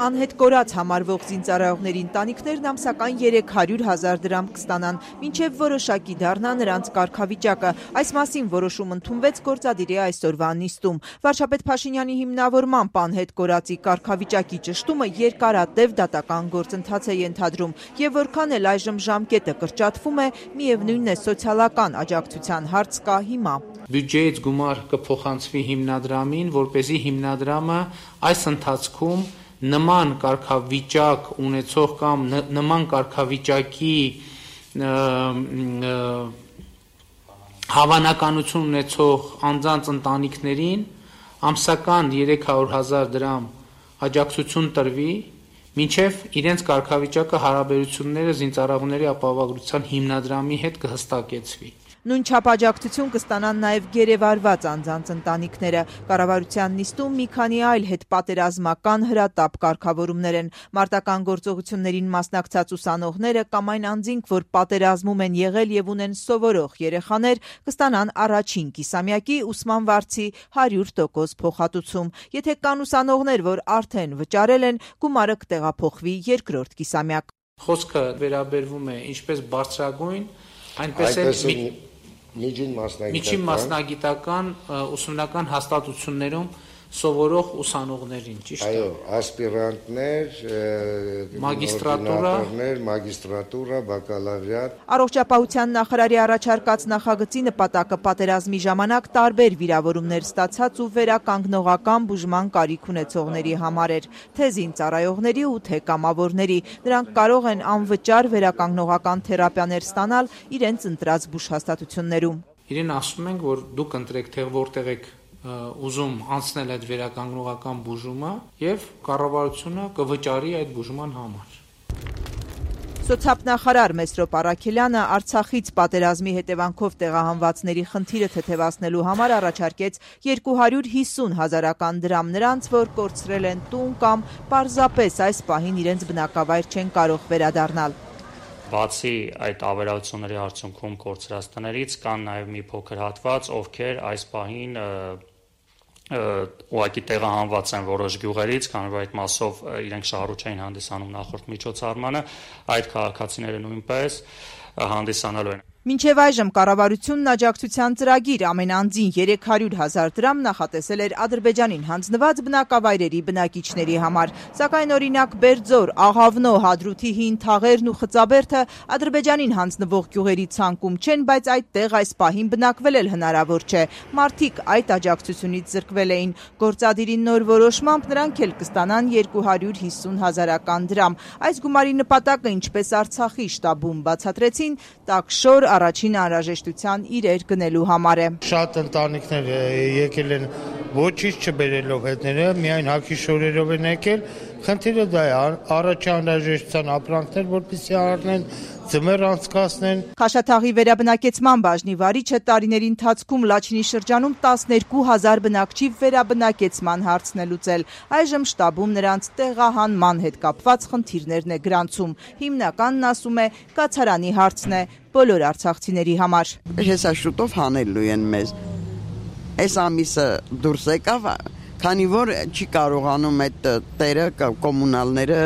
Անհետ կորած համարվող զինծառայողների ընտանիքներն ամսական 300,000 դրամ կստանան, մինչև որոշակի դառնա նրանց կարգավիճակը։ Այս մասին որոշում ընդունվեց գործադիրի այսօրվա նիստում։ Վարչապետ Փաշինյանի հիմնավորմամբ անհետ կորածի կարգավիճակի ճշտումը երկարատև դատական գործընթաց է ենթադրում, եւ որքան էլ այժմ ժամկետը կրճատվում է, միևնույնն է սոցիալական աջակցության հարց կա հիմա։ Բյուջեից գումար կփոխանցվի հիմնադրամին, որպեսզի հիմնադրամը այս ընթացքում նման կարգավիճակ ունեցող կամ նման կարգավիճակի հավանականություն ունեցող անձանց ընտանիքներին ամսական 300,000 դրամ աջակցություն տրվի, մինչև իրենց կարգավիճակը հարաբերությունները զինծառայողների ապահովագրության հիմնադրամի հետ կհստակեցվի։ Նույն չափ աջակցություն կստանան նաև գերեվարված անձանց ընտանիքները։ Կառավարության նիստում մի քանի այլ հետպատերազմական հրատապ կարգավորումներ են։ Մարտական գործողություններին մասնակցած ուսանողները կամ այն անձինք, որ պատերազմում են եղել եւ ունեն սովորող երեխաներ, կստանան առաջին կիսամյակի ուսման վարձի 100% փոխհատուցում։ Եթե կան ուսանողներ, որ արդեն վճարել են, գումարը կտեղափոխվի երկրորդ կիսամյակ։ Խոսքը վերաբերվում է ինչպես բարձրագույն, այնպես էլ միջին մասնագիտական ուսումնական հաստատություններում սովորող ուսանողներին, ճիշտ է։ Այո, ասպիրանտներ, մագիստրատուրա, բակալավրիատ։ Առողջապահության նախարարի առաջարկած նախագծի նպատակը պատերազմի ժամանակ տարբեր վիրավորումներ ստացած ու վերականգնողական բուժման կարիք ունեցողների համար էր, թե զինծառայողների ու թե կամավորների։ Նրանք կարող են անվճար վերականգնողական թերապիաներ ստանալ իրենց ընտրած բուժհաստատություններում։ Իրեն ասում ենք, որ դուք ընտրեք, թե որտեղ եք ուզում անցնել այդ վերականգնողական բուժումը եւ կառավարությունը կվճարի այդ բուժման համար։ Սոցիալնախարար Մեսրոպ Առաքելյանը Արցախից պատերազմի հետևանքով տեղահանվածների խնդիրը թեթևացնելու համար առաջարկեց 250,000 դրամ նրանց, որ կորցրել են տուն կամ պարզապես այս պահին իրենց բնակավայր չեն կարող վերադառնալ։ Բացի այդ ավերածությունների արդյունքում կորցրած տներից կան նաև մի փոքր հատված, ովքեր այս պահին ուղղակի տեղահանված են որոշ գյուղերից, քանի որ այդ մասով իրենք շահառու չէին հանդիսանում նախորդ միջոցառմանը, այդ քաղաքացիները նույնպես հանդիսանալու են։ Մինչև այժմ կառավարությունն աջակցության ծրագիր ամեն անձին 300,000 դրամ նախատեսել էր Ադրբեջանին հանձնված բնակավայրերի բնակիչների համար, սակայն օրինակ Բերձոր, Աղավնո, Հադրութի հին թաղերն ու Խծաբերդը Ադրբեջանին հանձնվող գյուղերի ցանկում չեն, բայց այդտեղ այս պահին բնակվել էլ հնարավոր չէ։ Մարդիկ այդ աջակցությունից զրկվել էին։ Գործադիրի նոր որոշմամբ նրանք էլ կստանան 250,000 դրամ։ Այս գումարի նպատակը, ինչպես Արցախի շտաբում բացատրեցին, տաքշոր առաջին անհրաժեշտության իրեր գնելու համար է։ Շատ ընտանիքներ եկել են ոչինչ չբերելով հետները, միայն հագիշորերով են եկել։ Խնդիրը դա է, առաջին անհրաժեշտության ապրանքներ, որպեսզի առնեն, ձմեռ անցկացնեն։ Խաշաթաղի վերաբնակեցման բաժնի վարիչը տարիների ընթացքում Լաչինի շրջանում 12,000 բնակչի վերաբնակեցման հարցն է լուծել։ Այժմ շտաբում նրանց տեղահանման հետ կապված խնդիրներն է գրանցում։ Հիմնականն ասում է, կացարանի հարցն է բոլոր արցախցիների համար։ Հեսա շուտով հանելու են մեզ։ Այս ամիսը դուրս եկավ, քանի որ չի կարողանում այդ տերը կոմունալները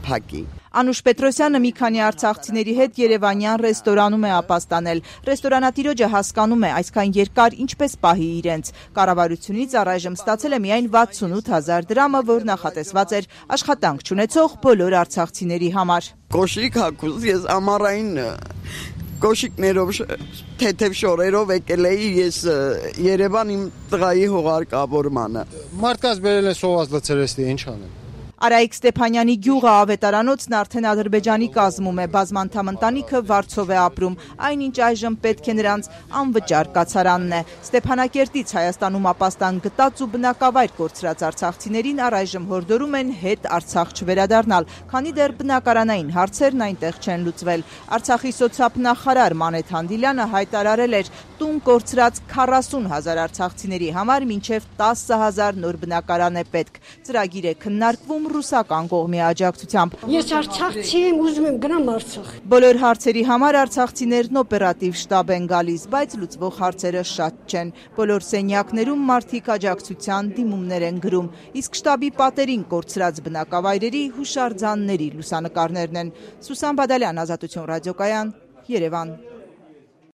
փակի։ Անուշ Պետրոսյանը մի քանի արցախցիների հետ Երևանյան ռեստորանում է ապաստանել։ Ռեստորանատիրոջը հասկանում է այսքան երկար ինչպես պահի իրենց։ Կառավարությունից առայժմ ստացել է միայն 68,000 դրամը, որ նախատեսված էր աշխատանք չունեցող բոլոր արցախցիների համար։ Կոշիկ հագուց ես ամառային կոշիկներով թեթև շորերով եկել էի ես Երևան իմ տղայի հողարկավորմանը։ Մարդկաց բերել են սոված լցրեստի, ինչ անեն։ Արայիկ Ստեփանյանի գյուղը ավետարանոցն արդեն Ադրբեջանի կազմում է, բազմանդամ ընտանիքը Վարչով է ապրում, այնինչ այժմ պետք է նրանց անվճար կացարանն է։ Ստեփանակերտից Հայաստանում ապաստան գտած ու բնակավայր կորցրած արցախցիներին առայժմ հորդորում են հետ Արցախ չվերադառնալ, քանի դեռ բնակարանային հարցերն այնտեղ չեն լուծվել։ Արցախի սոցիալնախարար Մանեթ Հանդիլյանը հայտարարել էր, տուն կորցրած 40,000 արցախցիների համար մինչև 10,000 նոր բնակարան է պետք։ Ծրագիր է քննարկվում ռուսական կողմի աջակցությամբ։ Ես արցախցի եմ, ուզում եմ գնամ Արցախ։ Բոլոր հարցերի համար արցախցիներն օպերատիվ շտաբ են գալիս, բայց լուծվող հարցերը շատ չեն։ Բոլոր սենյակներում մարդիկ աջակցության դիմումներ են գրում, իսկ շտաբի պատերին կորցրած բնակավայրերի հուշարձանների լուսանկարներն են։ Սուսան Բադալյան, Ազատություն ռադիոկայան, Երևան։